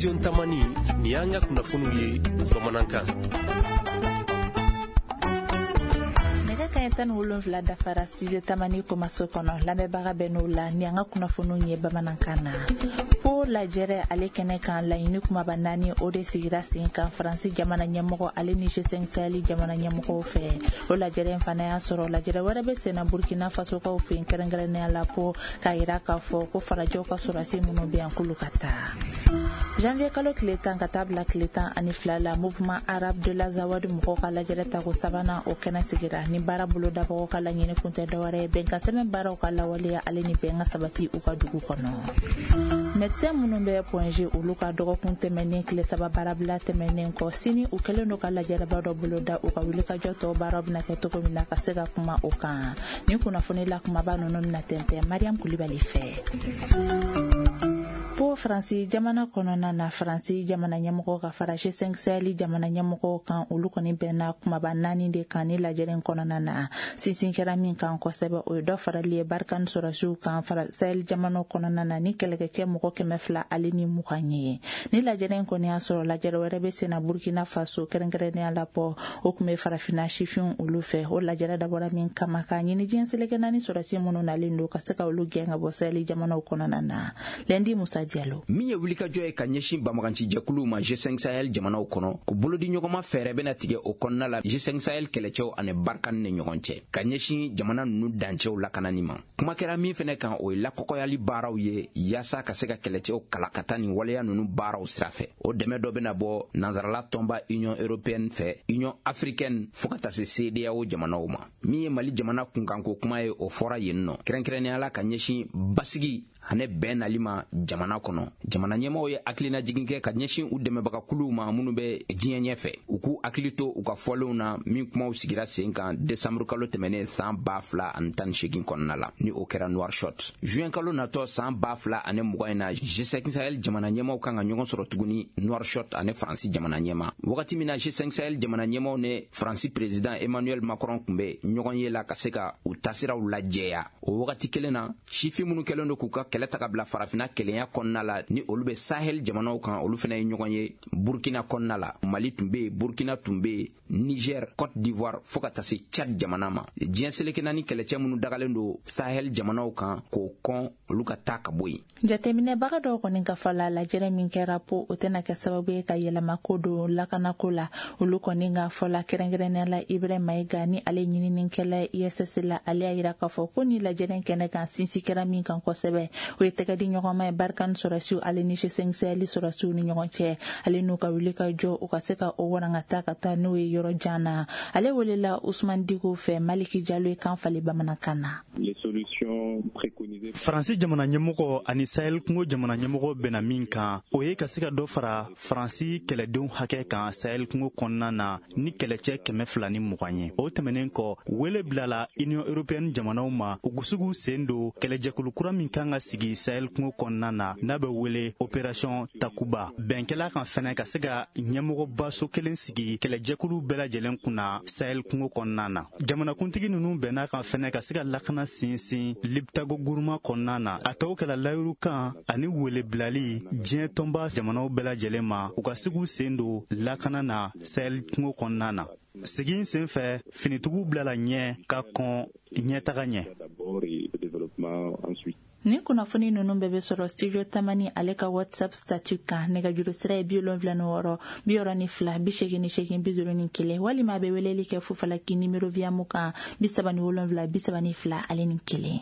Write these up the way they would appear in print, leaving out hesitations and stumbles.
Studio Tamani, nin y'an ka kunnafoniw ye bamanankan. Nɛgɛ kaɲɛ 17 dafara Studio Tamani kumaso kɔnɔ, lamɛnbaga bɛ n'o la ni an ka kunnafoniw ye bamanankan na. Pau lajɛrɛ ale kɛnɛ kan, laɲini kumaba naani o de sigira sen kan Faransi jamana ɲɛmɔgɔ ale ni G5 Sahel jamana ɲɛmɔgɔw fɛ. O lajɛrɛ in fana y'a sɔrɔ lajɛrɛ wɛrɛ bɛ senna Burkina Fasokaw fɛ yen, kɛrɛnkɛrɛnnenya la Pau, k'a yira k'a fɔ ko farajɛw ka sɔrɔdasi minnu bɛ yan k'olu ka taa. Janvier kalo tile 10 ka taa bila tile 12 la, Mouvement arabe de l'Azawad mɔgɔw ka lajɛrɛ tako sabanan o kɛnɛ sigira. Ni baara bolodabagaw ka laɲini kun tɛ dɔwɛrɛ ye bɛnkan sɛbɛn baaraw ka lawaleya ale ni bɛn ka sabati u ka dugu kɔnɔ. Médecin minnu bɛ Point G, olu ka dɔgɔkun tɛmɛnen tile 3 baarabila tɛmɛnen kɔ, sini u kɛlen don ka lajɛrɛba dɔ boloda u ka wulikajɔ tɔw baaraw bɛna kɛ cogo min na ka se ka kuma o kan. Ni kunnafoni la kumaba ninnu bɛna tɛntɛn Mariam Kulibali fɛ. Pau Faransi jamana kɔnɔna na, Faransi jamana ɲɛmɔgɔ ka fara G5 Sahel jamana ɲɛmɔgɔw kan, olu kɔni bɛnna kumaba naani de kan ni lajɛrɛ in kɔnɔna na. Sinsin kɛra min kan kosɛbɛ, o ye dɔ farali ye Barkhane sɔrɔdasiw kan Sahel jamanaw kɔnɔna na ni kɛlɛkɛcɛ mɔgɔ 220 ye. Ni lajɛrɛ in kɔni y'a sɔrɔ lajɛrɛ wɛrɛ bɛ senna Burkina Faso, kɛrɛnkɛrɛnnenya la Pau, o tun bɛ farafinna sifinw olu fɛ. O lajɛrɛ dabɔra min kama, k'a ɲini diɲɛ seleke naani sɔrɔdasi minnu nalen don ka se ka olu gɛn ka bɔ Sahel jamanaw kɔnɔna na. Lundi Musa Diallo. Min ye wulikajɔ ye ka ɲɛsin banbagancijɛkuluw ma G5 Sahel jamanaw kɔnɔ, ko bolodiɲɔgɔnma fɛɛrɛ bɛna tigɛ o kɔnɔna la G5 Sahel kɛlɛcɛw ani Barkhane ni ɲɔgɔn cɛ ka ɲɛsin jamana ninnu dancɛw lakanani ma. Kuma kɛra min fɛnɛ kan, o ye lakɔkɔyali baaraw ye yaasa ka se ka kɛlɛcɛw kala ka taa nin waleya ninnu baaraw sira fɛ. O dɛmɛ dɔ bɛna bɔ nansarala tɔnba Union européenne fɛ, Union africaine, fo ka taa se CEDEAO jamanaw ma. Min ye Mali jamana kunkanko kuma ye, o fɔra yen nɔ, kɛrɛnkɛrɛnnenya la ka ɲɛsin basigi ani bɛn nali ma jamana kɔnɔ. Jamana ɲɛmɔgɔw ye hakilinajigin kɛ ka ɲɛsin u dɛmɛbagakuluw ma minnu bɛ diɲɛ ɲɛfɛ, u k'u hakili to u ka fɔlenw na min kumaw sigira sen kan desanburu kalo tɛmɛnen san 2018 kɔnɔna la, ni o kɛra Nouakchott. Juin kalo natɔ san 2020 in na, G5 Sahel jamana ɲɛmɔgɔw kan ka ɲɔgɔn sɔrɔ tuguni Nouakchott ani Faransi jamana ɲɛma. Wagati min na G5 Sahel jamana ɲɛmɔgɔw ni Faransi président Emmanuel Macron tun bɛ ɲɔgɔn ye la ka se ka u tasiraw lajɛya, o wagati kelen na, sifin minnu kɛlen don k'u ka kɛlɛ ta ka bila farafinna kelenya kɔnɔna la, ni olu bɛ Sahel jamanaw kan, olu fana ye ɲɔgɔn ye Burkina kɔnɔna la. Mali tun bɛ yen, Burkina tun bɛ yen, Niger, Côte d'Ivoire, fo ka taa se Tchad jamana ma. Diɲɛ seleke naani kɛlɛcɛ minnu dagalen don Sahel jamanaw kan, k'o kɔn olu ka taa ka bɔ yen. Jateminɛbaga dɔw kɔni ka fɔ la, lajɛrɛ min kɛra Pau, o tɛna kɛ sababu ye ka yɛlɛmako don lakanako la. Olu kɔni ka fɔ la, kɛrɛnkɛrɛnnenya la Ibrahim Mayiga, ni ale ɲininikɛla ISS la, ale y'a yira k'a fɔ ko ni lajɛrɛ kɛnɛ kan, sinsin kɛra min kan kosɛbɛ, o ye tɛgɛ di ɲɔgɔnma ye Barkhane sɔrɔdasiw ale ni G5 Sahel sɔrɔdasiw ni ɲɔgɔn cɛ, ale n'u ka wuli ka jɔ, u ka se ka o warangata ka taa n'o ye yɔrɔ jan na. Ale welela Usman Diko fɛ, Maliki Jalo ye kan falen bamanankan na. Faransi jamana ɲɛmɔgɔ ani Sahel kungo jamana ɲɛmɔgɔ bɛnna min kan, o ye ka se ka dɔ fara Faransi kɛlɛdenw hakɛ kan Sahel kungo kɔnɔna na ni kɛlɛcɛ 220 ye. O tɛmɛnen kɔ, wele bilala Union européenne jamanaw ma, u se k'u sen don kɛlɛjɛkulu kura min kan ka sigi Sahel kungo kɔnɔna na, n'a bɛ wele Opération Takuba. Bɛnkɛla kan fɛnɛ ka se ka ɲɛmɔgɔbaso kelen sigi kɛlɛjɛkulu bɛɛ lajɛlen kunna Sahel kungo kɔnɔna na. Jamanakuntigi ninnu bɛnna kan fɛnɛ ka se ka lakana sinsin Liptako Gourma kɔnɔna na. A tɔw kɛla layiru kan ani wele bilali diɲɛ tɔnba jamanaw bɛɛ lajɛlen ma, u ka se k'u sen don lakana na Sahel kungo kɔnɔna na. Segin sen fɛ, finitigiw bilala ɲɛ ka kɔn ɲɛtaga ɲɛ. Ni kunnafoni ninnu bɛɛ bɛ sɔrɔ Studio Tamani ale ka WhatsApp statut kan. Nɛgɛjuru sira ye 76 62 88 51, walima a bɛ weleli kɛ Fufalaki nimero Viamu kan 37 32 ale ni 1.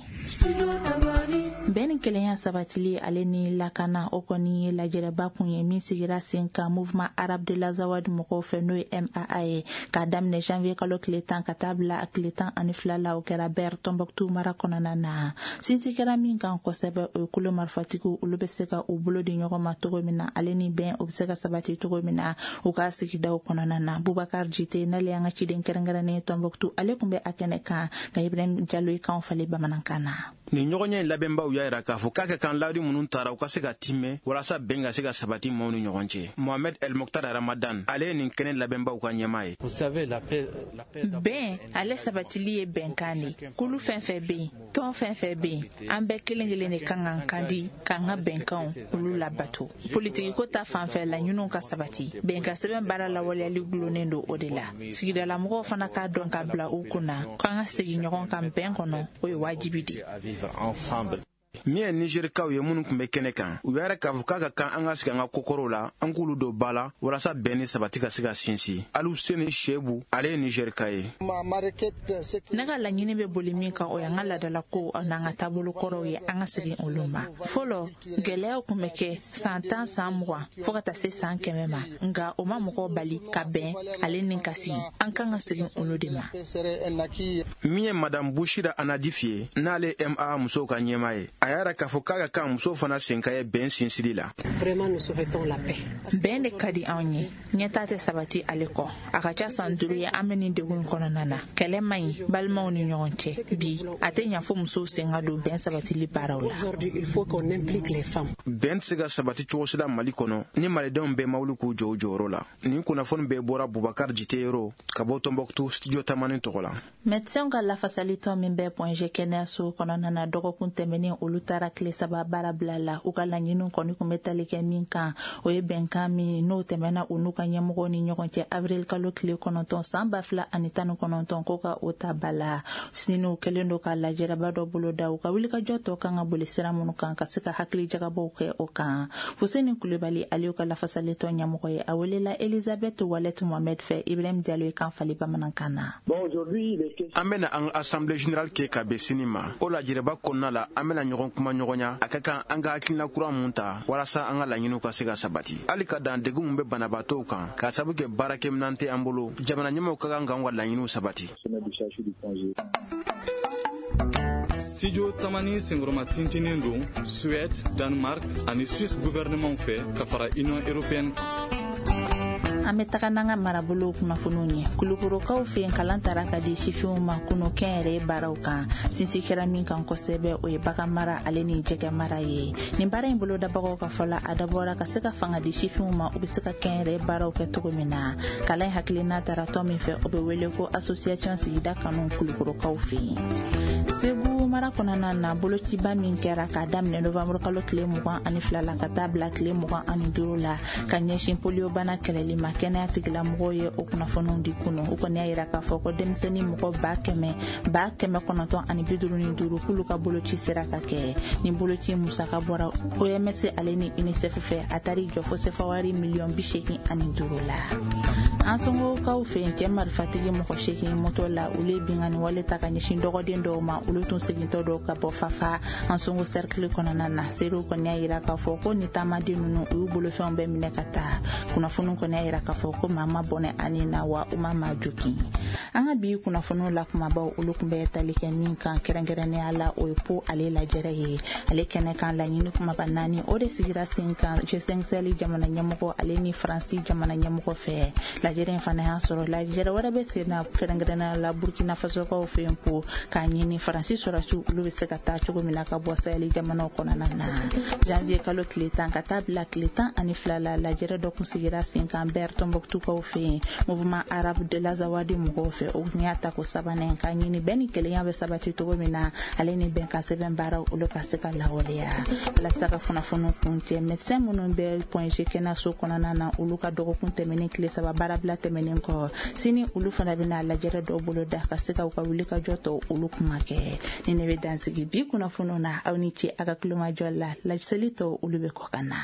Bɛn ni kelenya sabatili ale ni lakana, o kɔni ye lajɛrɛba kun ye min sigira sen kan Mouvement arabe de l'Azawad mɔgɔw fɛ, n'o ye MAA ye, k'a daminɛ janvier kalo tile 10 ka taa bila a tile 12 la. O kɛra Ber, Tombouctou mara kɔnɔna na. Sinsin kɛra min kan kosɛbɛ, o ye kolo marifatigiw, olu bɛ se ka u bolo di ɲɔgɔn ma cogo min na, ale ni bɛn o bɛ se ka sabati cogo min na u ka sigidaw kɔnɔna na. Bubakar Jite, n'ale y'an ka ciden kɛrɛnkɛrɛnnen ye Tombouctou, ale tun bɛ a kɛnɛ kan ka Ibrahim Jalo ye kan falen bamanankan na. Nin ɲɔgɔnye in labɛnbaw y'a yira k'a fɔ k'a ka kan layidu minnu tara, u ka se ka timɛ walasa bɛn ka se ka sabati maaw ni ɲɔgɔn cɛ. Mohamed El Mokhtar Ramadan, ale ye nin kɛnɛ labɛnbaw ka ɲɛmaa ye. Bɛn ale sabatili ye bɛnkan de. Kulu fɛn fɛn bɛ yen, tɔn fɛn fɛn bɛ yen, an bɛɛ kelen kelen de kan k'an kan di k'an ka bɛnkanw olu labato. Politikiko ta fanfɛ, laɲiniw ka sabati, bɛnkan sɛbɛn baara lawaleyali gulonnen don o de la. Sigidalamɔgɔw fana k'a dɔn k'a bila u kunna k'an ka segin ɲɔgɔn kan bɛn kɔnɔ, o ye wajibi de. Min ye Nizerikaw ye minnu tun bɛ kɛnɛ kan, u y'a k'a fɔ k'a ka kan an ka sigi an ka kokɔrɔw la, an k'olu don ba la walasa bɛn ni sabati ka se ka sinsin. Aluseni Sebu, ale ye Nizerika ye. Ne ka laɲini bɛ boli min kan, o y'an ka laadalako n'an ka taabolo kɔrɔw ye, an ka segin olu ma. Fɔlɔ, gɛlɛyaw tun bɛ kɛ san 10, san 20, fɔɔ ka taa se san 100 ma, nka o ma mɔgɔw bali ka bɛn ale ni ka sigi. An kan ka segin olu de ma. Min ye Madame Bushira Anadif ye, n'ale ma musow ka ɲɛmaa ye, a y'a yira k'a fɔ k'a ka kan musow fana sen ka ye bɛn sinsili la. Bɛn de ka di anw ye, ɲɛtaa tɛ sabati ale kɔ. A ka ca san 5 ye an bɛ nin degun kɔnɔna na. Kɛlɛ man ɲi balimaw ni ɲɔgɔn cɛ. Bi, a tɛ ɲa fo musow sen ka don bɛn sabatili baaraw la. Bɛn tɛ se ka sabati cogo si la Mali kɔnɔ ni malidenw bɛɛ ma wuli k'u jɔ u jɔyɔrɔ la. Nin kunnafoni bɛɛ bɔra Bubakar Jiteyoro ka bɔ Tɔnbɔkutu, Studio Tamani tɔgɔ la. Médecins ka lafasalitɔn min bɛ Point G kɛnɛyaso kɔnɔna na, dɔgɔkun tɛmɛnen olu taara tile 3 baara bila la. U ka laɲiniw kɔni kun bɛ tali kɛ min kan, o ye bɛnkan min n'o tɛmɛna u n'u ka ɲɛmɔgɔw ni ɲɔgɔn cɛ avril kalo tile 9 san 2019, ko ka o ta ba la. Sini, kɛlen don ka lajɛrɛba dɔ boloda. U ka wulikajɔ tɔ kan ka boli sira minnu kan, ka se ka hakili jagabɔw kɛ o kan. Fuseni Kulubali, ale ka lafasalitɔn ɲɛmɔgɔ ye, a welela Elizabeth Walet Mohamed fɛ. Ibrahim Diallo ye kan fali bamanankan na. An bɛna an ka assemblée générale kɛ ka bɛn sini ma. O lajɛrɛba kɔnɔna la, an bɛna ɲɔgɔn kuma ɲɔgɔnya a ka kan an ka hakilina kura mun ta walasa an ka laɲiniw ka se ka sabati. Hali ka dan degun mun bɛ banabaatɔw kan k'a sabu kɛ baarakɛminɛn tɛ an bolo, jamana ɲɛmɔgɔw ka kan k'an ka laɲiniw sabati. Studio Tamani senkɔrɔma tintinen don Suède, Danemark ani Suisse gouvernement fɛ ka fara Union européenne kan. An bɛ taga n'an ka marabolow kunnafoniw ye. Kulukorokaw fɛ yen, kalan tara ka di sifinw ma kunu kɛnyɛrɛye baaraw kan. Sinsin kɛra min kan kosɛbɛ, o ye bagan mara ale ni jɛgɛ mara ye. Nin baara in bolodabagaw ka fɔ la, a dabɔra ka se ka fanga di sifinw ma, u bɛ se ka kɛnyɛrɛye baaraw kɛ cogo min na. Kalan in hakilina tara tɔn min fɛ, o bɛ wele ko Association Sigida Kanu Kulukorokaw fɛ yen. Segu mara kɔnɔna na, bolociba min kɛra k'a daminɛ novembre kalo tile 22 la ka taa bila tile 25 la ka ɲɛsin poliyobana kɛlɛli ma, kɛnɛya tigilamɔgɔw ye o kunnafoniw di kunu. U kɔni y'a yira k'a fɔ ko denmisɛnnin mɔgɔ 955,000 k'olu ka boloci sera ka kɛ. Nin boloci musaka bɔra OMS ale ni UNICEF fɛ. A taar'i jɔ fo sefa wari miliyɔn 85 la. An somɔgɔw fɛ yen, cɛ marifatigi mɔgɔ 8 moto la, olu ye binkanni wale ta ka ɲɛsin dɔgɔden dɔw ma. Olu tun segintɔ dɔw ka bɔ Fafa Ansongo cercle kɔnɔna na. Seerew kɔni y'a yira k'a fɔ ko ni taamaden ninnu, u y'u bolofɛnw bɛɛ minɛ ka taa. Kunnafoniw kɔni y'a yira k'a fɔ ko maa ma bɔnɛ ani na wa u ma maa jogin. An ka bi kunnafoniw la kumabaw, olu tun bɛ tali kɛ min kan kɛrɛnkɛrɛnnenya la, o ye po ale lajɛrɛ ye. Ale kɛnɛ kan, laɲini kumaba naani, o de sigira sen kan G5 Sahel jamana ɲɛmɔgɔ ale ni Faransi jamana ɲɛmɔgɔ fɛ. Lajɛrɛ in fana y'a sɔrɔ lajɛrɛ wɛrɛ bɛ sen na, kɛrɛnkɛrɛnnenya la Burkina Fasokaw fɛ yen, po k'a ɲini Faransi sɔrɔsiw olu bɛ se ka taa cogo min na ka bɔ Sahel jamanaw kɔnɔna na. Janvier kalo tile 10 ka taa bila tile 12 la, lajɛrɛ dɔ kun sigira sen kan Ber Tombouctoukaw fɛ yen, Mouvement arabe de l'Azawadi mɔgɔw fɛ. O tun y'a tako sabanan k'a ɲini bɛn ni kelenya bɛ sabati cogo min na, ale ni bɛnkan sɛbɛn baaraw olu ka se ka lawaleya. Walasa ka kunnafoniw kuncɛ, médecin minnu bɛ Point G kɛnɛyaso kɔnɔna na, olu ka dɔgɔkun tɛmɛnen tile 3 baarabila tɛmɛnen kɔ, sini olu fana bɛna lajɛrɛ dɔw bolo da ka se ka u ka wuli ka jɔ tɔ olu kuma kɛ. Ni ne bɛ dansigi bi kunnafoniw na, aw ni ce a ka kulomajɔ la. Laseli tɔ, olu bɛ kɔ ka na.